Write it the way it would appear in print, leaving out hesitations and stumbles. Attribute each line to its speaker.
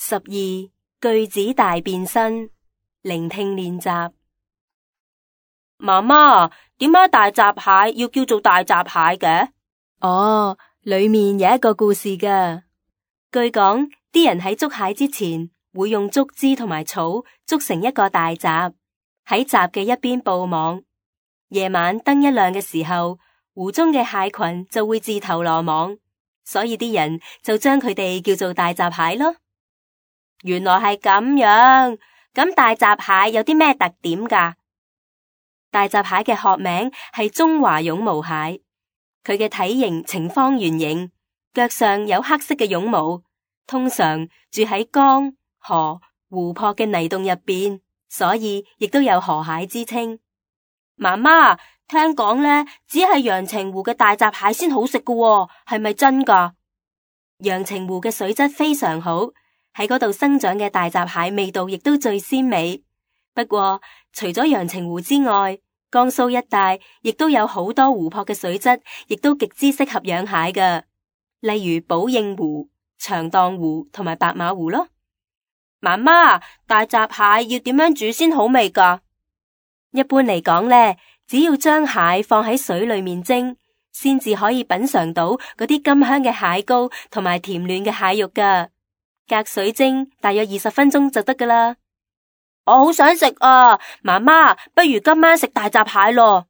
Speaker 1: 12句子大變身，聆聽練習。
Speaker 2: 媽媽，點解大閘蟹要叫做大閘蟹嘅？
Speaker 1: 哦，裏面有一個故事㗎。據講，啲人喺捉蟹之前，會用竹枝同埋草築成一個大閘，喺閘嘅一邊佈網。夜晚燈一亮嘅時候，湖中嘅蟹群就會自投羅網，所以啲人就將佢哋叫做大閘蟹咯。
Speaker 2: 原來係咁樣，咁大閘蟹有啲咩特點㗎？
Speaker 1: 大閘蟹嘅學名係中華絨毛蟹，佢嘅體型呈方圓形，腳上有黑色嘅絨毛，通常住喺江、河、湖泊嘅泥洞入邊，所以亦都有河蟹之稱。
Speaker 2: 媽媽，聽講呢，只係陽澄湖嘅大閘蟹先好食㗎喎，係咪真㗎？
Speaker 1: 陽澄湖嘅水質非常好，喺嗰度生長嘅大閘蟹味道亦都最鮮美。不過，除咗陽澄湖之外，江蘇一帶亦都有好多湖泊嘅水質，亦都極之適合養蟹㗎。例如寶應湖、長蕩湖同埋白馬湖咯。
Speaker 2: 媽媽，大閘蟹要點樣煮先好味㗎？
Speaker 1: 一般嚟講呢，只要將蟹放喺水裏面蒸，先至可以品嘗到嗰啲甘香嘅蟹膏同埋甜嫩嘅蟹肉㗎。隔水蒸大約20分鐘就得㗎啦。
Speaker 2: 我好想食啊！媽媽，不如今晚食大閘蟹咯。